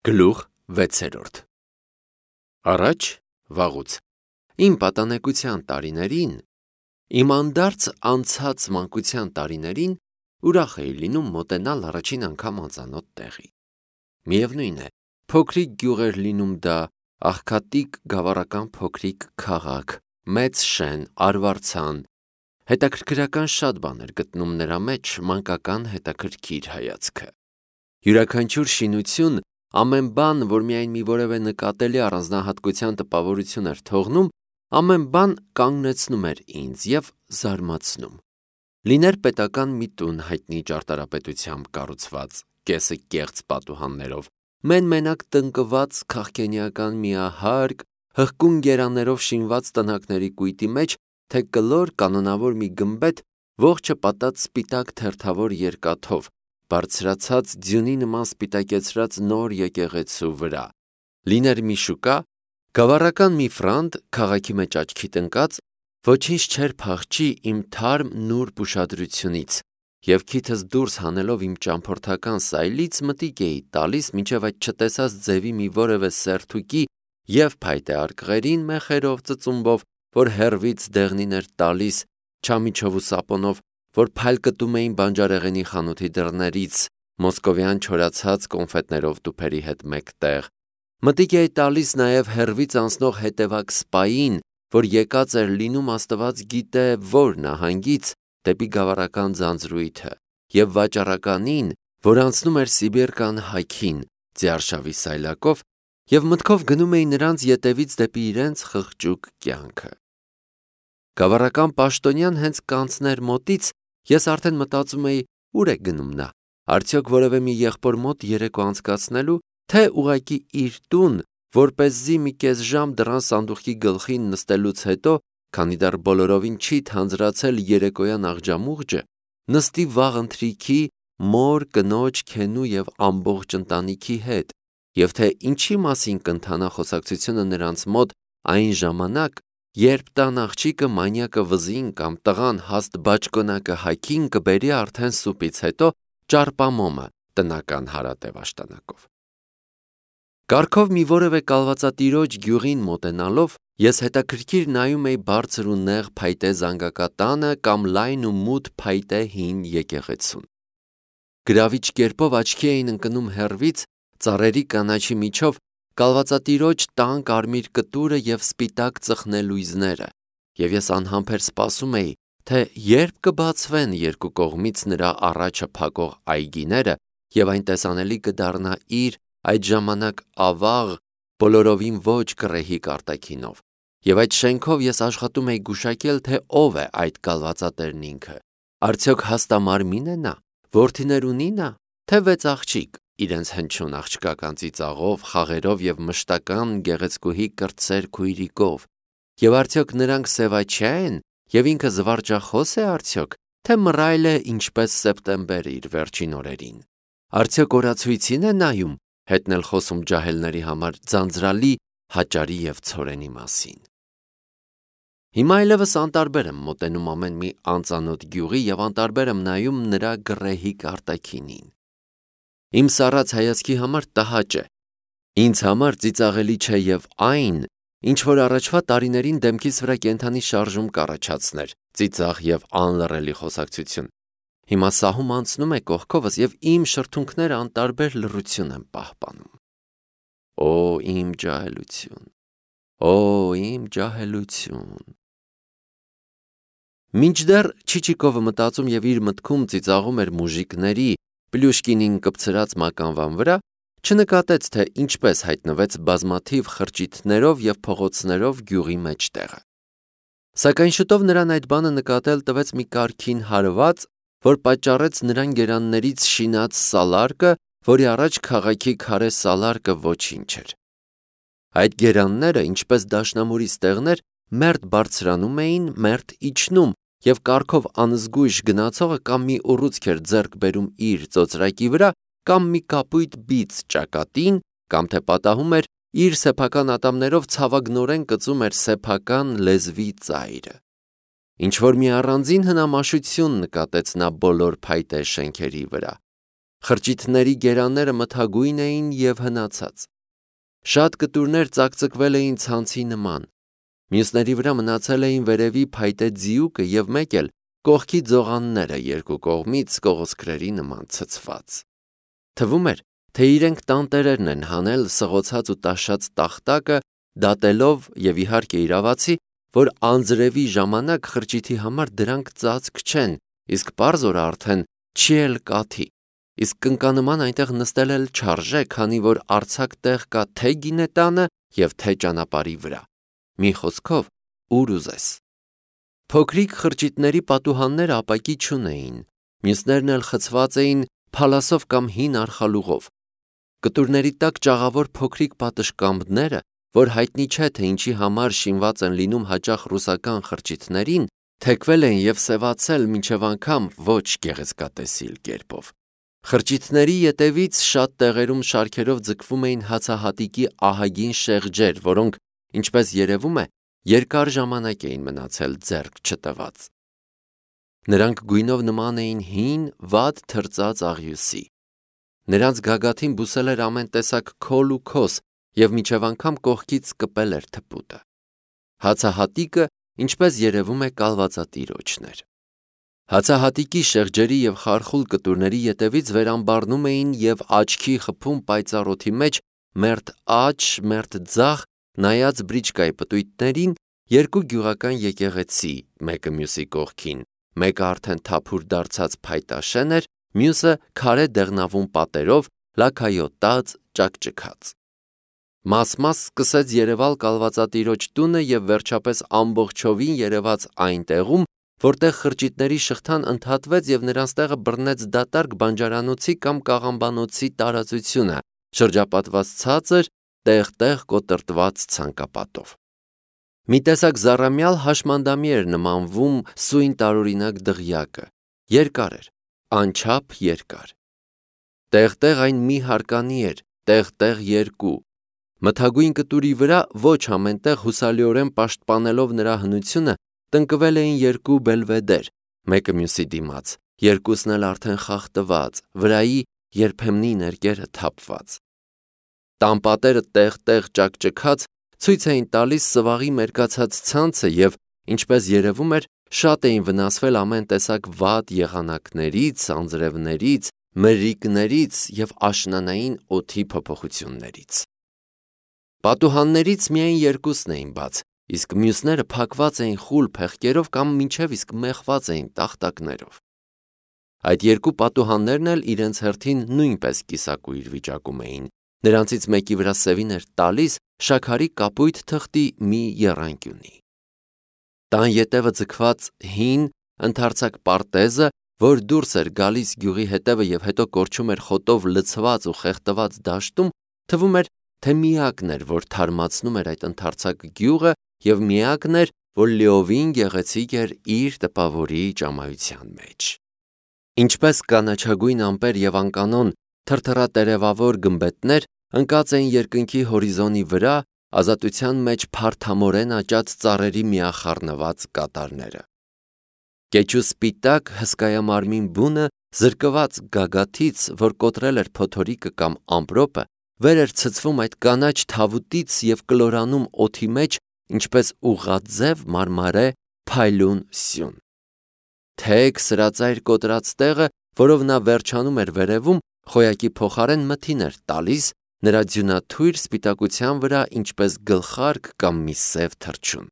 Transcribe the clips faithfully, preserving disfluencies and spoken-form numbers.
Գլուխ վեցերորդ Առաջ վաղուց իմ պատանեկության տարիներին, իմ անդարձ անցած մանկության տարիներին ուրախ էի լինում մոտենալ առաջին անգամ անծանոթ տեղի։ Միևնույն է, փոքրիկ գյուղ էր լինում դա, աղքատիկ գավառական փոքրիկ քաղաք, մեծ շեն, արվարձան, հետաքրքրական շատ բան էր գտնում նրա մեջ մանկական հետաքրքիր հայացքը։ Յուրաքանչյուր շինություն, ամեն բան, որ միայն մի որևէ նկատելի առանձնահատկության տպավորություն էր թողնում, ամեն բան կանգնեցնում էր ինձ և զարմացնում։ Լիներ պետական մի տուն հայտնի ճարտարապետությամբ կառուցված, կեսը կեղծ պատուհաններով, մեն-մենակ տնկված քաղքենիական միահարկ, հղկուն գերաններով շինված տնակների կույտի մեջ, թե կլոր կանոնավոր մի գմբեթ, ողջը պատած սպիտակ թերթավոր երկաթով, բարձրացած ձյունի նման սպիտակեցրած նոր եկեղեցու վրա, լիներ մի շուկա, գավառական մի ֆրանտ, քաղաքի մեջ աչքիդ ընկած, ոչինչ չէր փախչի իմ թարմ նուրբ ուշադրությունից, և քիթս դուրս հանելով իմ ճամփորդական սայլից մտիկ էի տալիս մինչև այդ չտեսած ձևի մի որևէ սերթուկի և փայտե արկղերին մեխերով, ծծումբով, որ հեռվից դեղնին էր տալիս, չամիչով ու սապոնով, որ փայլկտում էին բանջարեղենի խանութի դռներից, մոսկովյան չորացած կոնֆետներով տուփերի հետ մեկտեղ, մտիկ էի տալիս նաև հեռվից անցնող հետևակ սպային, որ եկած էր լինում աստված գիտե որ նահանգից, դեպի գավառական ձանձրույթը, և վաճառականին, որ անցնում էր Սիբիրկան հագին, ձիարշավի սայլակով, և մտքով գնում էի նրանց ետևից դեպի իրենց խղճուկ կյանքը։ Գավառական պաշտոնյան հենց կանցներ մոտից, ես արդեն մտածում էի, ուր է գնում նա, արդյոք որևէ մի եղբոր մոտ երեկո անցկացնելու, թե ուղղակի իր տուն, որպեսզի մի կես ժամ դռան սանդուղքի գլխին նստելուց հետո, քանի դեռ բոլորովին չի թանձրացել երեկոյան աղջամուղջը, նստի վաղ ընթրիքի, մոր, կնոջ, քենու և ամբողջ ընտանիքի հետ, և թե ինչի մասին կընթանա խոսակցությունը նրանց մոտ այն ժամանակ, երբ տան աղջիկը մանյակը վզին կամ տղան հաստ բաճկոնակը հագին կբերի արդեն սուպից հետո ճարպամոմը տնական հարատև աշտանակով։ Կառքով մի որևէ կալվածատիրոջ գյուղին մոտենալով, ես հետաքրքիր նայում էի բարձր ու նեղ փայտե զանգակատանը կամ լայն ու մութ փայտե հին եկեղեցուն։ Գրավիչ կերպով աչքի էին ընկնում հեռվից, ծառերի կանաչի միջով, կալվածատիրոջ տան կարմիր կտուրը և սպիտակ ծխնելույզները, և ես անհամբեր սպասում էի, թե երբ կբացվեն երկու կողմից նրա առաջը փակող այգիները, և այն տեսանելի կդառնա իր, այդ ժամանակ ավաղ, բոլորովին ոչ գռեհիկ արտաքինով, և այդ շենքով ես աշխատում էի գուշակել, թե ով է այդ կալվածատերն ինքը, արդյոք հաստամարմին է նա, որդիներ ունի նա, թե վեց աղջիկ, իրենց հնչյուն աղջկական ծիծաղով, խաղերով և մշտական գեղեցկուհի կրտսեր քույրիկով, և արդյոք նրանք սևաչյա են, և ինքը զվարճախո՞ս է արդյոք, թե մռայլ է ինչպես սեպտեմբերը իր վերջին օրերին, արդյոք օրացույցի՞ն է նայում, հետն էլ խոսում ջահելների համար ձանձրալի հաճարի և ցորենի մասին։ Հիմա այլևս անտարբեր եմ մոտենում ամեն մի անծանոթ գյուղի և անտարբեր եմ նայում նրա գռեհիկ արտաքինին։ Իմ սառած հայացքի համար տհաճ է, ինձ համար ծիծաղելի չէ և այն, ինչ որ առաջվա տարիներին դեմքիս վրա կենդանի շարժում կառաջացներ, ծիծաղ և անլռելի խոսակցություն, հիմա սահում անցնում է կողքովս և իմ շրթունքները անտարբեր լռություն են պահպանում։ Օ, իմ ջահելություն, օ, իմ ջահելություն։ Մինչդեռ Չիչիկովը մտածում և իր մտքում ծիծաղում էր մուժիկների, Պլյուշկինին կպցրած մականվան վրա, չնկատեց, թե ինչպես հայտնվեց բազմաթիվ խրճիթներով և փողոցներով գյուղի մեջտեղը։ Սակայն շուտով նրան այդ բանը նկատել տվեց մի կարգին հարված, որ պատճառեց նրան գերաններից շինած սալարկը, որի առաջ քաղաքի քարե սալարկը ոչինչ էր։ Այդ գերանները, ինչպես դաշնամուրի ստեղներ, մերթ բարձրանում էին, մերթ իջնում, և կառքով անզգույշ գնացողը կամ մի ուռուցք էր ձեռք բերում իր ծոծրակի վրա, կամ մի կապույտ բիծ ճակատին, կամ թե պատահում էր իր սեփական ատամներով ցավագնորեն կծում էր սեփական լեզվի ծայրը։ Ինչ-որ մի առանձին հնամաշություն նկատեց նա բոլոր փայտե շենքերի վրա, Խրճիթների գերանները մթագույն էին և հնացած։ Շատ կտուրներ ծակծկվել էին ցանցի նման։ Մյուսների վրա մնացել էին վերևի փայտե ձիուկը և մեկ էլ կողքի ձողանները երկու կողմից կողոսկրերի նման ցցված։ Թվում էր, թե իրենք տանտերերն են հանել սղոցած ու տաշած տախտակը, դատելով և իհարկե իրավացի, որ անձրևի ժամանակ խրճիթի համար դրանք ծածկ չեն, իսկ պարզ օրը արդեն չի էլ կաթի, իսկ կնկանման այնտեղ նստել էլ չարժե, քանի որ արձակ տեղ կա թե գինետանը և թե ճանապարհի վրա։ Մի խոսքով, ուր ուզես։ Փոքրիկ խրճիթների պատուհանները ապակի չունեին, մյուսներն էլ խցված էին փալասով կամ հին արխալուղով։ Կտուրների տակ ճաղավոր փոքրիկ պատշգամբները, որ հայտնի չէ, թե ինչի համար շինված են լինում հաճախ ռուսական խրճիթներին, թեքվել են և սևացել մինչև անգամ ոչ գեղեցկատեսիլ կերպով։ Խրճիթների ետևից շատ տեղերում շարքերով ձգվում էին հացահատիկի ահագին շեղջեր, որոնք, ինչպես երևում է, երկար ժամանակ էին մնացել ձեռք չտված։ Նրանք գույնով նման էին հին, վատ թրծած աղյուսի։ Նրանց գագաթին բուսել էր ամեն տեսակ քոլ ու քոս և մինչև անգամ կողքից կպել էր թփուտը։ Հացահատիկը, ինչպես երևում է, կալվածատիրոջն էր։ Հացահատիկի շեղջերի և խարխուլ կտուրների ետևից վերամբառնում էին և աչքի խփում պայծառ օդի մեջ մերթ աջ, մերթ ձախ նայած բրիչկայի պտույտներին երկու գյուղական եկեղեցի, մեկը մյուսի կողքին, մեկը արդեն թափուր դարձած փայտաշեն էր, մյուսը քարե դեղնավուն պատերով, լաքայոտած, ճաքճքած։ Մաս-մաս սկսեց երևալ կալվածատիրոջ տունը և վերջապես ամբողջովին երևաց այն տեղում, որտեղ խրճիթների շղթան ընդհատվեց և նրանց տեղը բռնեց դատարկ բանջարանոցի կամ կաղամբանոցի տարածությունը, շրջապատված ցածր, տեղ-տեղ կոտրտված ցանկապատով։ Մի տեսակ զառամյալ հաշմանդամի էր նմանվում սույն տարօրինակ դղյակը, երկար էր, անչափ երկար։ Տեղ-տեղ այն մի հարկանի էր, տեղ-տեղ երկու։ Մթագույն կտուրի վրա ոչ ամենտեղ հուսալիորեն պաշտպանելով նրա հնությունը տնկվել էին երկու բելվեդեր, մեկը մյուսի դիմաց, երկուսն էլ արդեն խախտված, վրայի երբեմնի ներկերը թափված։ Տանպատերը տեղ-տեղ ճաքճքած ցույց էին տալիս սվաղի մերկացած ցանցը և, ինչպես երևում էր, շատ էին վնասվել ամեն տեսակ վատ եղանակներից, անձրևներից, մրրիկներից և աշնանային օդի փոփոխություններից։ Պատուհաններից միայն երկուսն էին բաց, իսկ մյուսները փակված էին խուլ փեղկերով կամ մինչև իսկ մեխված էին տախտակներով։ Այդ երկու պատուհաններն էլ իրենց հերթին նույնպես կիսակույր վիճակում էին, նրանցից մեկի վրա սևին էր տալիս շաքարի կապույտ թղթի մի եռանկյունի։ Տան ետևը ձգված հին, ընդարձակ պարտեզը, որ դուրս էր գալիս գյուղի հետևը և հետո կորչում էր խոտով լցված ու խեղդված դաշտում, թվում էր, թե միակն էր, որ թարմացնում էր այդ ընդարձակ գյուղը և միակն էր, որ լիովին գեղեցիկ էր իր տպավորիչ ճամայության մեջ։ Ինչպես կանաչագույն ամպեր և անկանոն թրթռատերևավոր գմբեթներ ընկած էին երկնքի հորիզոնի վրա, ազատության մեջ փարթամորեն աճած ծառերի միախառնված կատարները։ Կեչու սպիտակ հսկայամարմին բունը զրկված գագաթից, որ կոտրել էր փոթորիկը կամ ամպրոպը, վեր էր ցցվում այդ կանաչ թավուտից և կլորանում օդի մեջ, ինչպես ուղղաձև մարմարե փայլուն սյուն։ Թեք սրածայր կոտրած տեղը, որով նա վերջանում էր վերևում, խոյակի փոխարեն մթին էր տալիս նրա ձյունաթույր սպիտակության վրա, ինչպես գլխարկ կամ մի սև թռչուն։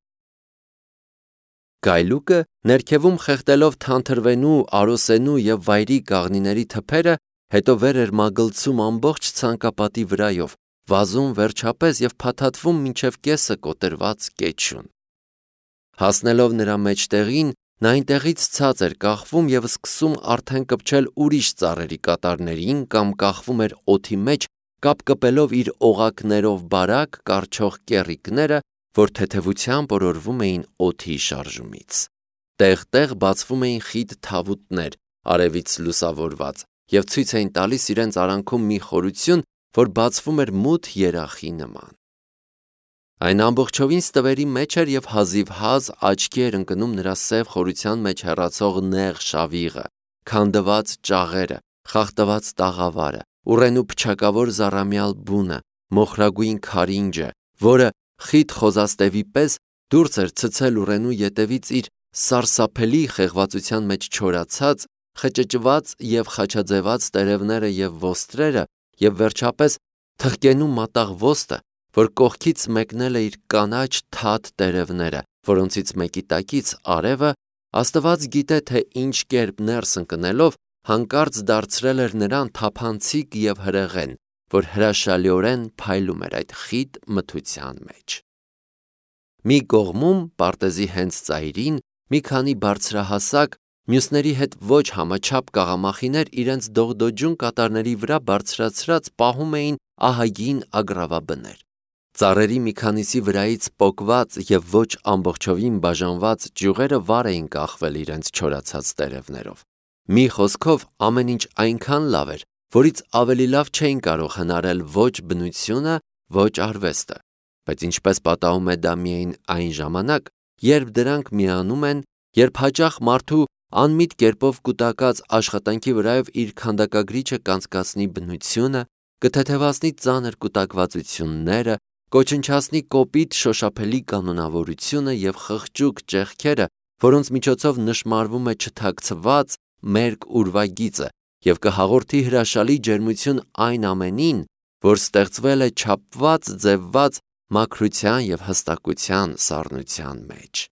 Գայլուկը, ներքևում խեղդելով թանթրվենու, արոսենու և վայրի կաղնիների թփերը, հետո վեր էր մագլցում ամբողջ ցանկապատի վրայով, վազում վերջապես և փաթաթվում մինչև կեսը կոտրված կեչուն։ Հասնելով նրա մեջտեղին, նա այնտեղից ցած էր կախվում և սկսում արդեն կպչել ուրիշ ծառերի կատարներին կամ կախվում էր օդի մեջ, կապ կպելով իր օղակներով բարակ կառչող կեռիկները, որ թեթևությամբ օրորվում էին օդի շարժումից։ Տեղ-տեղ բացվում էին խիտ թավուտներ, արևից լուսավորված, և ցույց էին տալիս իրենց արանքում մի խորություն, որ բացվում էր մութ երախի նման։ Այն ամբողջովին ստվերի մեջ էր և հազիվհազ աչքի էր ընկնում նրա սև խորության մեջ հեռացող նեղ շավիղը, քանդված ճաղերը, խախտված տաղավարը, ուռենու փչակավոր զառամյալ բունը, մոխրագույն քարինջը, որը խիտ խոզաստևի պես դուրս էր ցցել ուռենու ետևից իր սարսափելի խեղվածության մեջ չորացած, խճճված և խաչաձևած տերևները և ոստրերը, և վերջապես թխկենու մատաղ ոստը, որ կողքից մեկնել է իր կանաչ թաթ տերևները, որոնցից մեկի տակից արևը, Աստված գիտե, թե ինչ կերպ ներս ընկնելով հանկարծ դարձրել էր նրան թափանցիկ և հրեղեն, որ հրաշալիորեն փայլում էր այդ խիտ մթության մեջ։ Մի կողմում, պարտեզի հենց ծայրին, մի քանի բարձրահասակ, մյուսների հետ ոչ համաչափ կաղամախիներ իրենց դողդոջուն կատարների վրա բարձրացրած պահում էին ահագին ագռավաբներ։ Ծառերի մի քանիսի վրայից պոկված և ոչ ամբողջովին բաժանված ճյուղերը վար էին կախվել իրենց չորացած տերևներով։ Մի խոսքով, ամեն ինչ այնքան լավ էր, որից ավելի լավ չէին կարող հնարել ոչ բնությունը, ոչ արվեստը, բայց ինչպես պատահում է դա միայն այն ժամանակ, երբ դրանք միանում են, երբ հաճախ մարդու անմիտ կերպով կուտակած աշխատանքի վրայով իր քանդակագրիչը կանցկացնի բնությունը, կթեթևացնի ծանր կուտակվածությունները, կոչնչացնի կոպիտ շոշափելի կանոնավորությունը և խղճուկ ճեղքերը, որոնց միջոցով նշմարվում է չթաքցված մերկ ուրվագիծը և կհաղորդի հրաշալի ջերմություն այն ամենին, որ ստեղծվել է չափված, ձևված մաքրության և հստակության սառնության մեջ։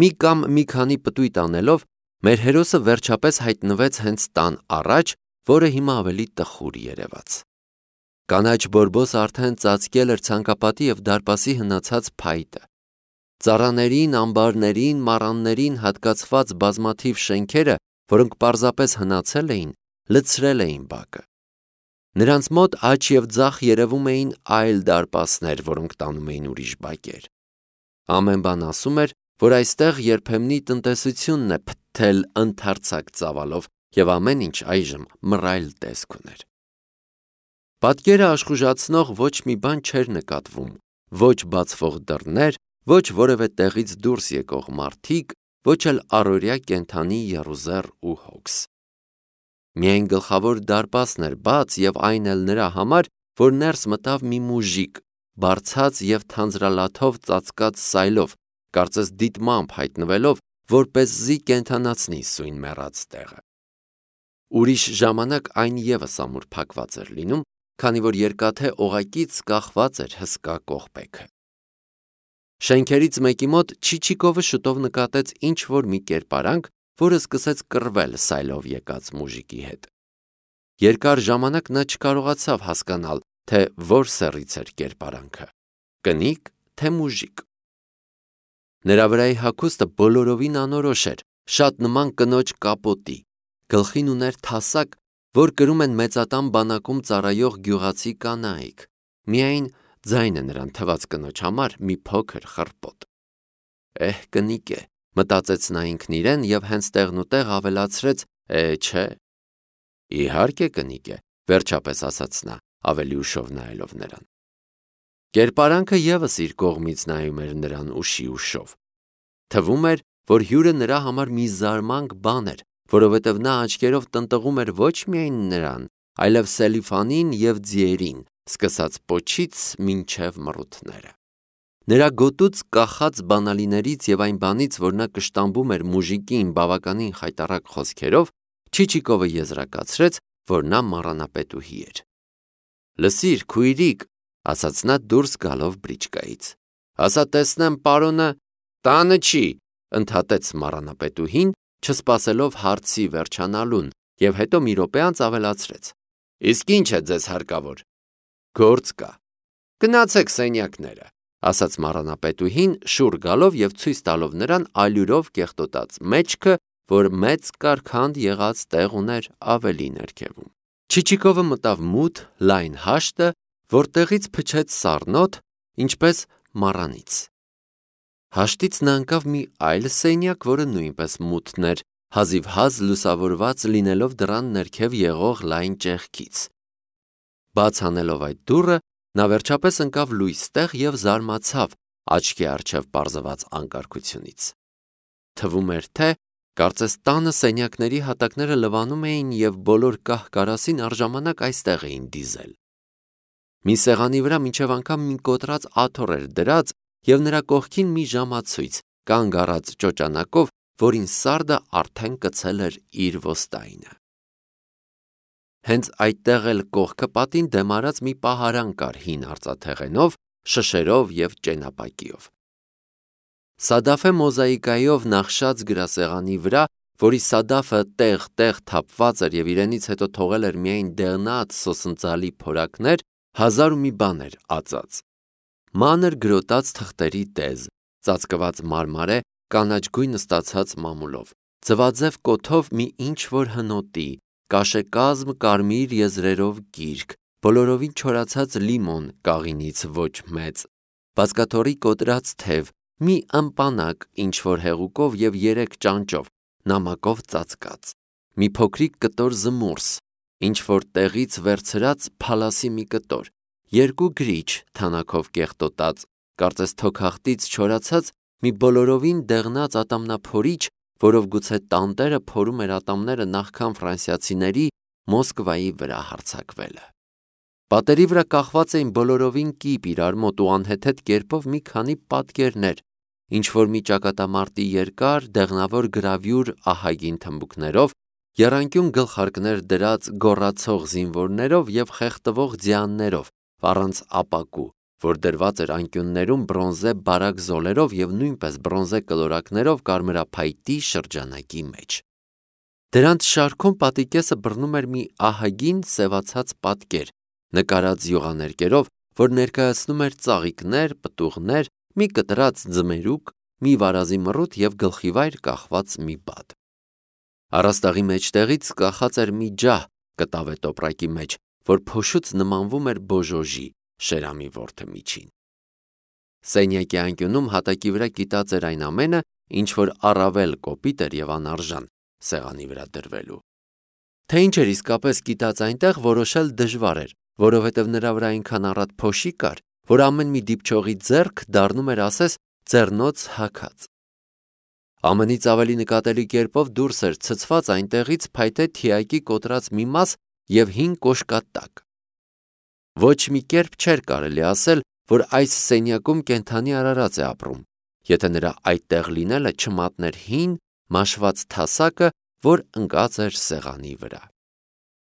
Մի կամ մի քանի պտույտ անելով, մեր հերոսը վերջապես հայտնվեց հենց տան առաջ, որը հիմա ավելի տխուր երևաց։ Կանաչ բորբոսը արդեն ծածկել էր ցանկապատի և դարպասի հնացած փայտը։ Ծառաներին, ամբարներին, մառաններին հատկացված բազմաթիվ շենքերը, որոնք պարզապես հնացել էին, լցրել էին բակը։ Նրանց մոտ աջ և ձախ երևում էին այլ դարպասներ, որոնք տանում էին ուրիշ բակեր։ Ամեն բան ասում էր, որ այստեղ երբեմնի տնտեսությունն է փթթել ընդարձակ ծավալով, և ամեն ինչ այժմ մռայլ տեսք ուներ։ Պատկերը աշխուժացնող ոչ մի բան չէր նկատվում, ոչ բացվող դռներ, ոչ որևէ տեղից դուրս եկող մարդիկ, ոչ էլ առօրյա կենդանի եռուզեռ ու հոգս։ Միայն գլխավոր դարպասն էր բաց և այն էլ նրա համար, որ ներս մտավ մի մուժիկ, բարձած և թանձրալաթով ծածկած սայլով, կարծես դիտմամբ հայտնվելով, որպեսզի կենդանացնի սույն մեռած տեղը։ Ուրիշ ժամանակ այն ևս ամուր փակված էր լինում, քանի որ երկաթե օղակից կախված էր հսկա կողպեքը։ Շենքերից մեկի մոտ Չիչիկովը շուտով նկատեց ինչ-որ մի կերպարանք, որը սկսեց կռվել սայլով եկած մուժիկի հետ։ Երկար ժամանակ նա չկարողացավ հասկանալ, թե որ սեռից էր կերպարանքը՝ կնիկ, թե մուժիկ։ Նրա վրայի հագուստը բոլորովին անորոշ էր, շատ նման կնոջ կապոտի, գլխին ուներ թասակ, որ կրում են մեծատան բանակում ծառայող գյուղացի կանայք, միայն ձայնը նրան թված կնոջ համար մի փոքր խռպոտ։ Էհ, կնիկ է, մտածեց նա ինքն իրեն և հենց տեղնուտեղ ավելացրեց. Է, չէ։ Իհարկե կնիկ է, վերջապես ասաց նա, ավելի ուշով նայելով նրան։ Կերպարանքը ևս իր կողմից նայում էր նրան ուշի ուշով։ Թվում էր, որ հյուրը նրա համար մի զարմանք բան էր, որովհետև նա աչքերով տնտղում էր ոչ միայն նրան, այլև Սելիֆանին և ձիերին, սկսած պոչից մինչև մռութները։ Նրա գոտուց կախած բանալիներից և այն բանից, որ նա կշտամբում էր մուժիկին բավականին խայտառակ խոսքերով, Չիչիկովը եզրակացրեց, որ նա մառանապետուհի էր։ Լսիր, քույրիկ, ասաց նա դուրս գալով բրիչկայից։ Ասա տեսնեմ, պարոնը տանը չի, ընդհատեց մառանապետուհին, չսպասելով հարցի վերջանալուն, և հետո մի րոպե անց ավելացրեց. Իսկ ինչ է ձեզ հարկավոր։ Գործ կա։ Գնացեք սենյակները, ասաց մառանապետուհին, շուռ գալով և ցույց տալով նրան ալյուրով կեղտոտած մեջքը, որ մեծ կարգանդ եղած տեղ ուներ ավելի ներքևում։ Չիչիկովը մտավ մութ, լայն հաշտը, որտեղից փչեց սառնոթ, ինչպես մառանից։ Հաշտից նա ընկավ մի այլ սենյակ, որը նույնպես մութն էր, հազիվհազ լուսավորված լինելով դռան ներքև եղող լայն ճեղքից։ Բաց անելով այդ դուռը, նա վերջապես ընկավ լույս տեղ և զարմացավ աչքի առջև պարզված անկարգությունից։ Թվում էր, թե Կարծես տանը սենյակների հատակները լվանում էին և բոլոր կահ-կարասին առժամանակ այստեղ էին դիզել։ Մի սեղանի վրա մինչև անգամ մի կոտրած աթոռ էր դրած և նրա կողքին մի ժամացույց, կանգ առած ճոճանակով, որին սարդը արդեն կցել էր իր ոստայինը։ Հենց այդտեղ էլ կողքը պատին դեմ արած մի պահարան կար հին արծաթեղենով, շշերով և ճենապակիով։ Սադաֆե մոզաիկայով նախշած գրասեղանի վրա, որի սադաֆը տեղ-տեղ թափված էր և իրենից հետո թողել էր միայն դեղնած սոսնձալի փորակներ, հազար ու մի բան էր ածած։ Մանր գրոտած թղթերի տեզ, ծածկված մարմարե, կանաչգույն ստացած մամուլով, ձվաձև կոթով մի ինչ-որ հնոտի, կաշեկազմ կարմիր եզրերով գիրք, բոլորովին չորացած լիմոն կաղինից ոչ մեծ, բազկաթոռի կոտրած թև, մի ըմպանակ ինչ-որ հեղուկով և երեք ճանճով, նամակով ծածկած, մի փոքրիկ կտոր զմուրս, ինչ-որ տեղից վերցրած փալասի մի կտոր, երկու գրիչ թանաքով կեղտոտած, կարծես թոքախտից չորացած մի բոլորովին դեղնած ատամնափորիչ, որով գուցե տանտերը փորում էր ատամները նախքան ֆրանսիացիների Մոսկվայի վրա հարձակվելը։ Պատերի վրա կախված էին բոլորովին կիպ իրար մոտ ու անհեթեթ կերպով մի քանի պատկերներ, ինչ-որ մի ճակատամարտի երկար, դեղնավոր գրավյուր ահագին թմբուկներով, եռանկյուն գլխարկներ դրած գոռացող զինվորներով և խեղդվող ձյաններով, առանց ապակու, որ դրված էր անկյուններում բրոնզե բարակ զոլերով և նույնպես բրոնզե կլորակներով կարմրափայտի շրջանակի մեջ։ Դրանց շարքում պատի կեսը բռնում էր մի ահագին սևացած պատկեր, նկարած յուղաներկերով, որ ներկայացնում էր ծաղիկներ, պտուղներ, մի կտրած ձմերուկ, մի վարազի մռութ և գլխիվայր կախված մի բադ։ Առաստաղի մեջտեղից կախած էր մի ջահ կտավե տոպրակի մեջ, որ փոշուց նմանվում էր բոժոժի, Շերամի որդը միջին։ Սենյակի անկյունում հատակի վրա կիտած էր այն ամենը, ինչ որ առավել կոպիտ էր և անարժան սեղանի վրա դրվելու։ Թե ինչ էր իսկապես կիտած այնտեղ, որոշել դժվար էր, որովհետև նրա վրա այնքան առատ փոշի կար, որ ամեն մի դիպչողի ձեռք դառնում էր ասես ձեռնոց հագած։ Ամենից ավելի նկատելի կերպով դուրս էր ցցված այնտեղից փայտե թիակի կոտրած մի մաս և հին կոշկատակ։ Ոչ մի կերպ չէր կարելի ասել, որ այս սենյակում կենդանի արարած է ապրում, եթե նրա այդտեղ լինելը չմատներ հին, մաշված թասակը, որ ընկած էր սեղանի վրա։